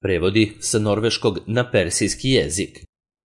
Prevodi sa norveškog na persijski jezik.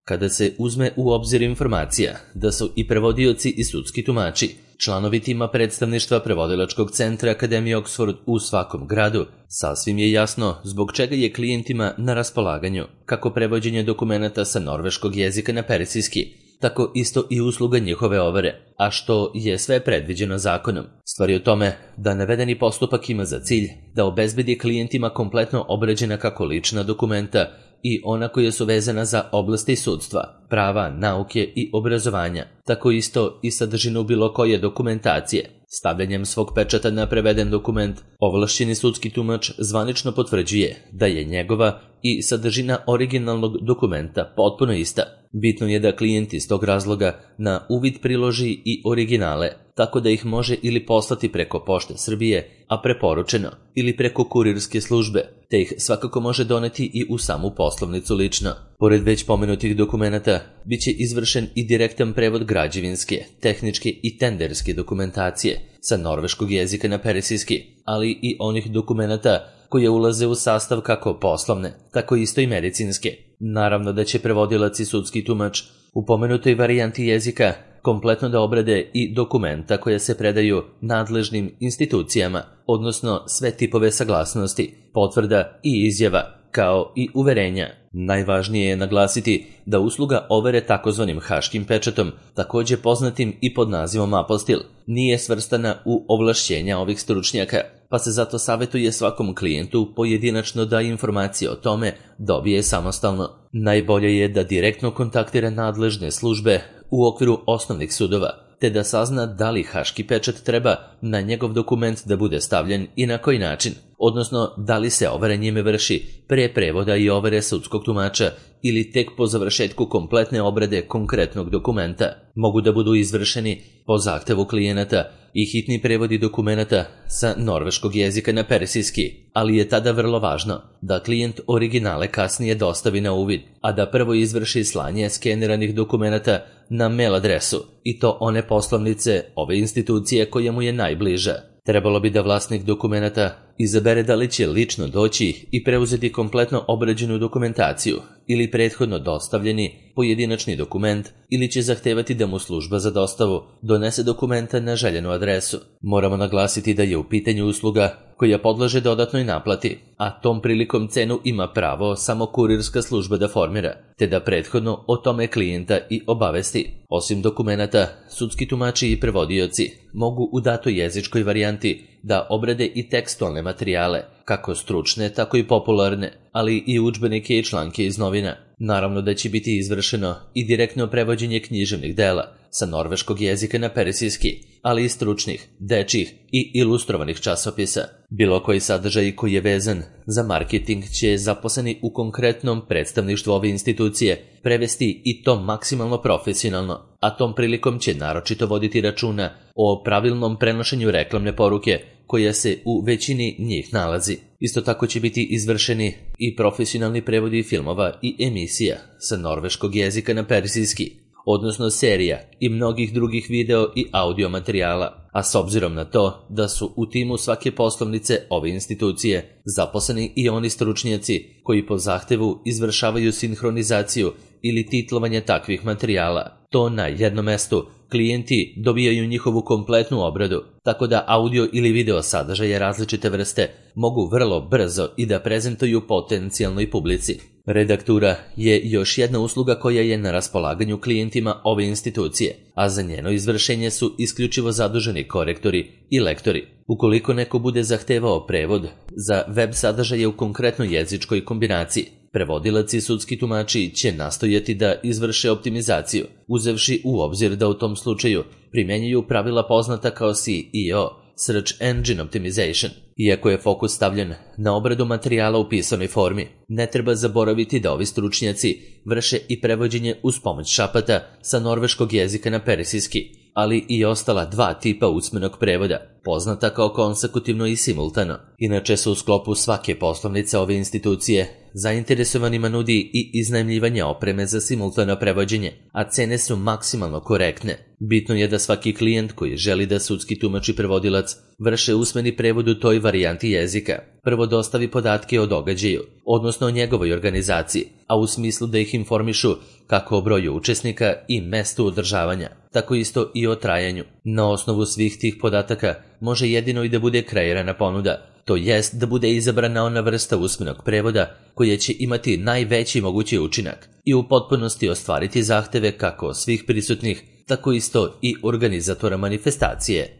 Kada se uzme u obzir informacija da su i prevodioci i sudski tumači članovi tima predstavništva prevodilačkog centra Akademije Oxford u svakom gradu, sasvim je jasno zbog čega je klijentima na raspolaganju kako prevođenje dokumenata sa norveškog jezika na persijski, tako isto i usluga njihove overe, a što je sve predviđeno zakonom. Stvar je u tome da navedeni postupak ima za cilj da obezbedi klijentima kompletno obrađena kako lična dokumenta i ona koja su vezana za oblasti sudstva, prava, nauke i obrazovanja, tako isto i sadržinu bilo koje dokumentacije. Stavljanjem svog pečata na preveden dokument, ovlašćeni sudski tumač zvanično potvrđuje da je njegova i sadržina originalnog dokumenta potpuno ista. Bitno je da klijent iz tog razloga na uvid priloži i originale, tako da ih može ili poslati preko Pošte Srbije, a preporučeno, ili preko kurirske službe, te ih svakako može doneti i u samu poslovnicu lično. Pored već pomenutih dokumenata, bit će izvršen i direktan prevod građevinske, tehničke i tenderske dokumentacije sa norveškog jezika na persijski, ali i onih dokumenata koje ulaze u sastav kako poslovne, tako isto i medicinske. Naravno da će prevodilac i sudski tumač u pomenutoj varijanti jezika kompletno da obrade i dokumenta koje se predaju nadležnim institucijama, odnosno sve tipove saglasnosti, potvrda i izjava, kao i uverenja. Najvažnije je naglasiti da usluga overe takozvanim haškim pečatom, također poznatim i pod nazivom apostil, nije svrstana u ovlašćenja ovih stručnjaka, pa se zato savjetuje svakom klijentu pojedinačno da informacije o tome dobije samostalno. Najbolje je da direktno kontaktira nadležne službe u okviru osnovnih sudova, te da sazna da li haški pečat treba na njegov dokument da bude stavljen i na koji način, odnosno da li se overa njime vrši pre prevoda i overe sudskog tumača ili tek po završetku kompletne obrade konkretnog dokumenta. Mogu da budu izvršeni po zahtevu klijenata i hitni prevodi dokumenata sa norveškog jezika na persijski, ali je tada vrlo važno da klijent originale kasnije dostavi na uvid, a da prvo izvrši slanje skeniranih dokumenata na mail adresu, i to one poslovnice ove institucije koja mu je najbliža. Trebalo bi da vlasnik dokumenata izabere da li će lično doći i preuzeti kompletno obrađenu dokumentaciju ili prethodno dostavljeni pojedinačni dokument, ili će zahtevati da mu služba za dostavu donese dokumenta na željenu adresu. Moramo naglasiti da je u pitanju usluga koja podleže dodatnoj naplati, a tom prilikom cenu ima pravo samo kurirska služba da formira, te da prethodno o tome klijenta i obavesti. Osim dokumenata, sudski tumači i prevodioci mogu u datoj jezičkoj varijanti da obrade i tekstualne materijale, kako stručne, tako i popularne, ali i udžbenike i članke iz novina. Naravno da će biti izvršeno i direktno prevođenje književnih dela sa norveškog jezika na persijski, ali i stručnih, dečjih i ilustrovanih časopisa. Bilo koji sadržaj koji je vezan za marketing će zaposleni u konkretnom predstavništvu ove institucije prevesti i to maksimalno profesionalno, a tom prilikom će naročito voditi računa o pravilnom prenošenju reklamne poruke koja se u većini njih nalazi. Isto tako će biti izvršeni i profesionalni prevodi filmova i emisija sa norveškog jezika na persijski, odnosno serija i mnogih drugih video i audio materijala, a s obzirom na to da su u timu svake poslovnice ove institucije zaposleni i oni stručnjaci koji po zahtevu izvršavaju sinhronizaciju ili titlovanje takvih materijala, to na jednom mestu klijenti dobijaju njihovu kompletnu obradu, tako da audio ili video sadržaje različite vrste mogu vrlo brzo i da prezentuju potencijalnoj publici. Redaktura je još jedna usluga koja je na raspolaganju klijentima ove institucije, a za njeno izvršenje su isključivo zaduženi korektori i lektori. Ukoliko neko bude zahtevao prevod za web sadržaje u konkretnoj jezičkoj kombinaciji, prevodilac i sudski tumači će nastojati da izvrše optimizaciju, uzevši u obzir da u tom slučaju primjenjuju pravila poznata kao SEO, Search Engine Optimization. Iako je fokus stavljen na obradu materijala u pisanoj formi, ne treba zaboraviti da ovi stručnjaci vrše i prevođenje uz pomoć šapata sa norveškog jezika na persijski, ali i ostala dva tipa usmenog prevoda, poznata kao konsekutivno i simultano. Inače se u sklopu svake poslovnice ove institucije zainteresovanima nudi i iznajmljivanje opreme za simultano prevođenje, a cene su maksimalno korektne. Bitno je da svaki klijent koji želi da sudski tumač i prevodilac vrše usmeni prevod u toj varijanti jezika prvo dostavi podatke o događaju, odnosno o njegovoj organizaciji, a u smislu da ih informišu kako o broju učesnika i mestu održavanja, tako isto i o trajanju. Na osnovu svih tih podataka može jedino i da bude kreirana ponuda, to jest da bude izabrana ona vrsta usmenog prevoda koja će imati najveći mogući učinak i u potpunosti ostvariti zahteve kako svih prisutnih, tako isto i organizatora manifestacije.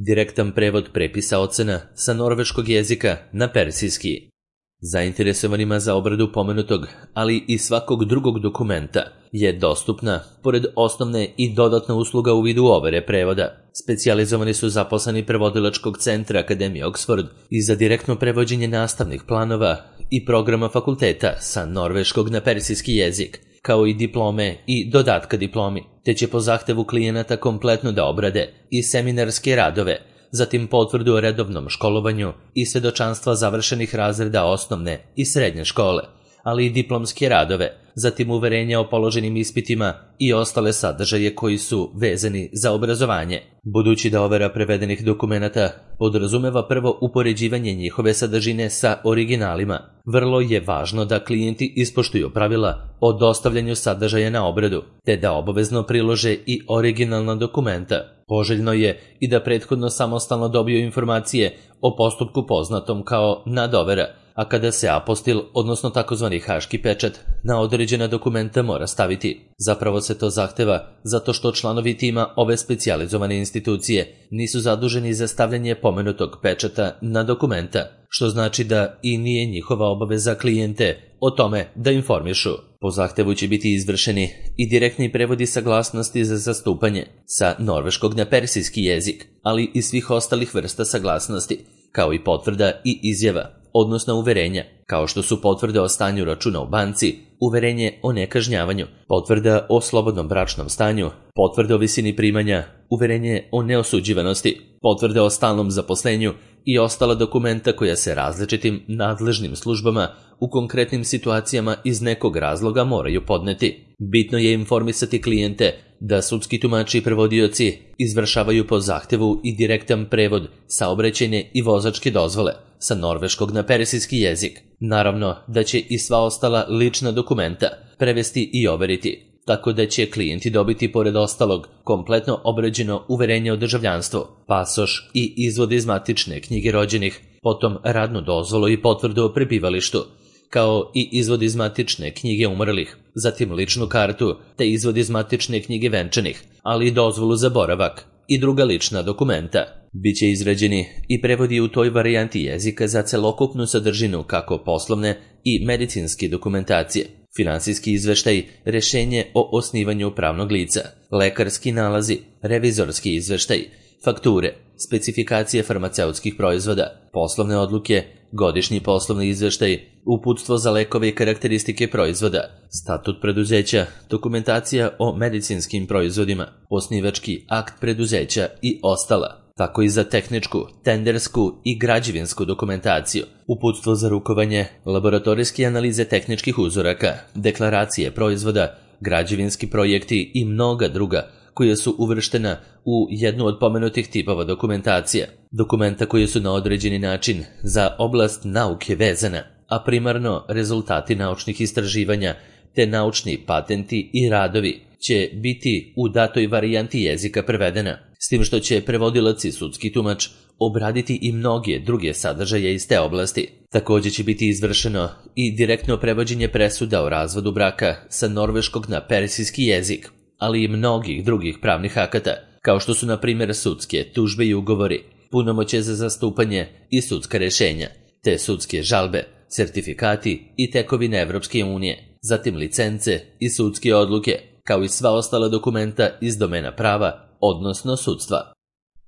Direktan prevod prepisa ocena sa norveškog jezika na persijski. Zainteresovanima za obradu pomenutog, ali i svakog drugog dokumenta je dostupna, pored osnovne i dodatna usluga u vidu overe prevoda. Specijalizovani su zaposleni prevodilačkog centra Akademije Oxford i za direktno prevođenje nastavnih planova i programa fakulteta sa norveškog na persijski jezik, kao i diplome i dodatka diplomi, te će po zahtevu klijenata kompletno da obrade i seminarske radove, zatim potvrdu o redovnom školovanju i svedočanstva završenih razreda osnovne i srednje škole, ali i diplomske radove, zatim uverenja o položenim ispitima i ostale sadržaje koji su vezani za obrazovanje. Budući da overa prevedenih dokumenata podrazumeva prvo upoređivanje njihove sadržine sa originalima, vrlo je važno da klijenti ispoštuju pravila o dostavljanju sadržaja na obradu, te da obavezno prilože i originalna dokumenta. Poželjno je i da prethodno samostalno dobiju informacije o postupku poznatom kao nadovera, a kada se apostil, odnosno takozvani haški pečat, na određena dokumenta mora staviti. Zapravo se to zahteva zato što članovi tima ove specijalizovane institucije nisu zaduženi za stavljanje pomenutog pečata na dokumenta, što znači da i nije njihova obaveza klijente o tome da informišu. Po zahtevu će biti izvršeni i direktni prevodi saglasnosti za zastupanje sa norveškog na persijski jezik, ali i svih ostalih vrsta saglasnosti, kao i potvrda i izjava, odnosno uverenja, kao što su potvrde o stanju računa u banci, uverenje o nekažnjavanju, potvrda o slobodnom bračnom stanju, potvrde o visini primanja, uverenje o neosuđivanosti, potvrde o stalnom zaposlenju i ostala dokumenta koja se različitim nadležnim službama u konkretnim situacijama iz nekog razloga moraju podneti. Bitno je informisati klijente da sudski tumači i prevodioci izvršavaju po zahtevu i direktan prevod saobraćajne i vozačke dozvole sa norveškog na persijski jezik. Naravno da će i sva ostala lična dokumenta prevesti i overiti, tako da će klijenti dobiti pored ostalog kompletno obrađeno uverenje o državljanstvu, pasoš i izvod iz matične knjige rođenih, potom radnu dozvolu i potvrdu o prebivalištu, kao i izvod iz matične knjige umrlih, zatim ličnu kartu te izvod iz matične knjige venčanih, ali i dozvolu za boravak i druga lična dokumenta. Biće izrađeni i prevodi u toj varijanti jezika za celokupnu sadržinu kako poslovne i medicinske dokumentacije, finansijski izveštaj, rešenje o osnivanju pravnog lica, lekarski nalazi, revizorski izveštaj, fakture, specifikacije farmaceutskih proizvoda, poslovne odluke, godišnji poslovni izveštaj, uputstvo za lekove i karakteristike proizvoda, statut preduzeća, dokumentacija o medicinskim proizvodima, osnivački akt preduzeća i ostala, tako i za tehničku, tendersku i građevinsku dokumentaciju, uputstvo za rukovanje, laboratorijske analize tehničkih uzoraka, deklaracije proizvoda, građevinski projekti i mnoga druga koja su uvrštena u jednu od pomenutih tipova dokumentacija. Dokumenta koji su na određeni način za oblast nauke vezana, a primarno rezultati naučnih istraživanja te naučni patenti i radovi će biti u datoj varijanti jezika prevedena, s tim što će prevodilac i sudski tumač obraditi i mnoge druge sadržaje iz te oblasti. Također će biti izvršeno i direktno prevođenje presuda o razvodu braka sa norveškog na persijski jezik, ali i mnogih drugih pravnih akata, kao što su na primjer sudske tužbe i ugovori, punomoćje za zastupanje i sudska rešenja, te sudske žalbe, sertifikati i tekovine Evropske unije, zatim licence i sudske odluke, kao i sva ostala dokumenta iz domena prava, odnosno sudstva.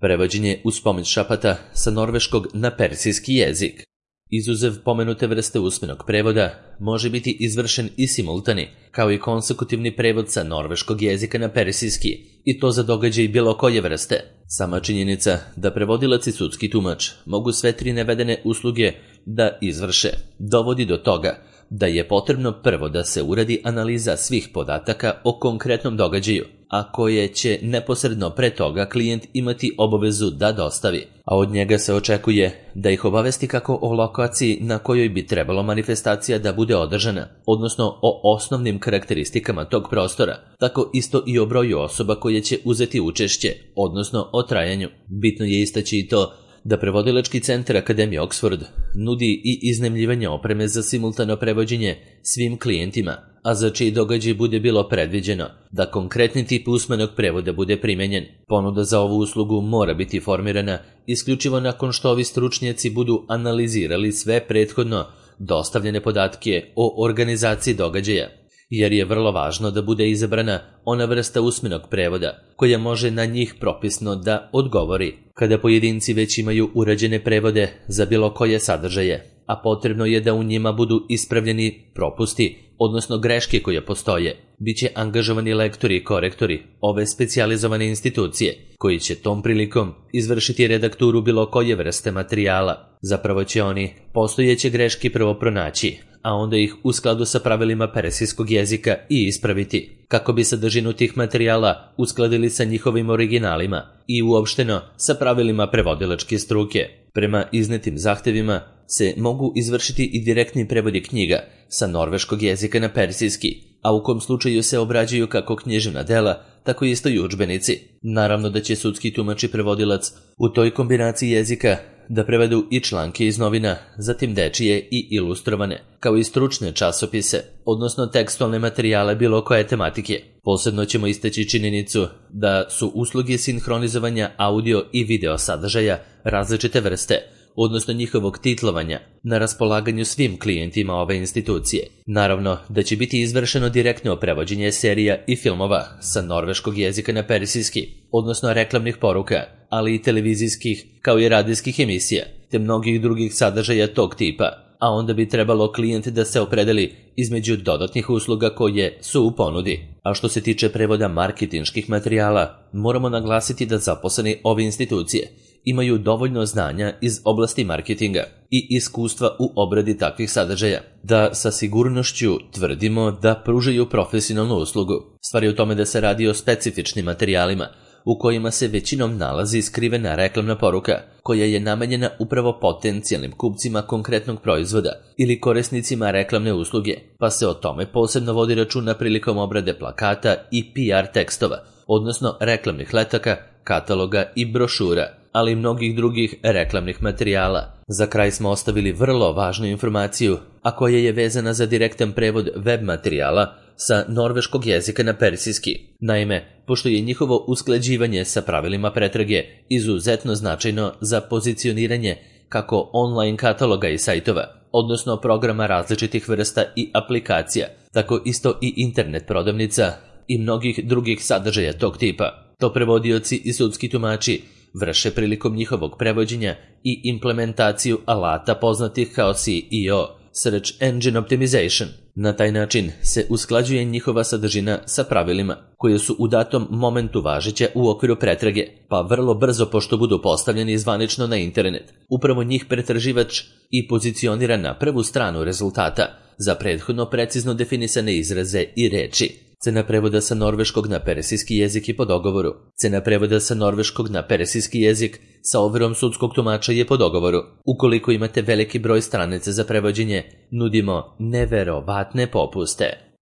Prevođenje uz pomoć šapata sa norveškog na persijski jezik. Izuzev pomenute vrste usmenog prevoda, može biti izvršen i simultani, kao i konsekutivni prevod sa norveškog jezika na persijski, i to za događaj bilo koje vrste. Sama činjenica da prevodilac i sudski tumač mogu sve tri navedene usluge da izvrše, dovodi do toga da je potrebno prvo da se uradi analiza svih podataka o konkretnom događaju, a koje će neposredno pre toga klijent imati obavezu da dostavi, a od njega se očekuje da ih obavesti kako o lokaciji na kojoj bi trebalo manifestacija da bude održana, odnosno o osnovnim karakteristikama tog prostora, tako isto i o broju osoba koje će uzeti učešće, odnosno o trajanju. Bitno je istaći i to da prevodilački centar Akademije Oxford nudi i iznajmljivanje opreme za simultano prevođenje svim klijentima, a za čiji događaj bude bilo predviđeno da konkretni tip usmenog prevoda bude primenjen. Ponuda za ovu uslugu mora biti formirana isključivo nakon što ovi stručnjaci budu analizirali sve prethodno dostavljene podatke o organizaciji događaja, jer je vrlo važno da bude izabrana ona vrsta usmenog prevoda koja može na njih propisno da odgovori. Kada pojedinci već imaju urađene prevode za bilo koje sadržaje, a potrebno je da u njima budu ispravljeni propusti, odnosno greške koje postoje, bit će angažovani lektori i korektori ove specijalizovane institucije, koji će tom prilikom izvršiti redakturu bilo koje vrste materijala. Zapravo će oni postojeće greške prvo pronaći, a onda ih u skladu sa pravilima persijskog jezika i ispraviti, kako bi sadržinu tih materijala uskladili sa njihovim originalima i uopšteno sa pravilima prevodilačke struke. Prema iznetim zahtevima se mogu izvršiti i direktni prevodi knjiga sa norveškog jezika na persijski, a u kom slučaju se obrađuju kako književna dela, tako isto i udžbenici. Naravno da će sudski tumač i prevodilac u toj kombinaciji jezika da prevedu i članke iz novina, zatim dečije i ilustrovane, kao i stručne časopise, odnosno tekstualne materijale bilo koje tematike. Posebno ćemo istaći činjenicu da su usluge sinhronizovanja audio i video sadržaja različite vrste, odnosno njihovog titlovanja, na raspolaganju svim klijentima ove institucije. Naravno da će biti izvršeno direktno prevođenje serija i filmova sa norveškog jezika na persijski, odnosno reklamnih poruka, ali i televizijskih kao i radijskih emisija, te mnogih drugih sadržaja tog tipa, a onda bi trebalo klijent da se opredeli između dodatnih usluga koje su u ponudi. A što se tiče prevoda marketinških materijala, moramo naglasiti da zaposleni ove institucije imaju dovoljno znanja iz oblasti marketinga i iskustva u obradi takvih sadržaja, da sa sigurnošću tvrdimo da pružaju profesionalnu uslugu. Stvar je u tome da se radi o specifičnim materijalima, u kojima se većinom nalazi skrivena reklamna poruka, koja je namenjena upravo potencijalnim kupcima konkretnog proizvoda ili korisnicima reklamne usluge, pa se o tome posebno vodi računa prilikom obrade plakata i PR tekstova, odnosno reklamnih letaka, kataloga i brošura, ali i mnogih drugih reklamnih materijala. Za kraj smo ostavili vrlo važnu informaciju, a koja je vezana za direktan prevod web materijala sa norveškog jezika na persijski. Naime, pošto je njihovo usklađivanje sa pravilima pretrage izuzetno značajno za pozicioniranje kako online kataloga i sajtova, odnosno programa različitih vrsta i aplikacija, tako isto i internet prodavnica i mnogih drugih sadržaja tog tipa, to prevodioci i sudski tumači vrše prilikom njihovog prevođenja i implementaciju alata poznatih kao SEO, Search Engine Optimization. Na taj način se usklađuje njihova sadržina sa pravilima koje su u datom momentu važeće u okviru pretrage, pa vrlo brzo pošto budu postavljeni zvanično na internet. Upravo njih pretraživač i pozicionira na prvu stranu rezultata za prethodno precizno definisane izraze i reči. Cena prevoda sa norveškog na persijski jezik je po dogovoru. Cena prevoda sa norveškog na persijski jezik sa overom sudskog tumača je po dogovoru. Ukoliko imate veliki broj stranica za prevođenje, nudimo neverovatne popuste.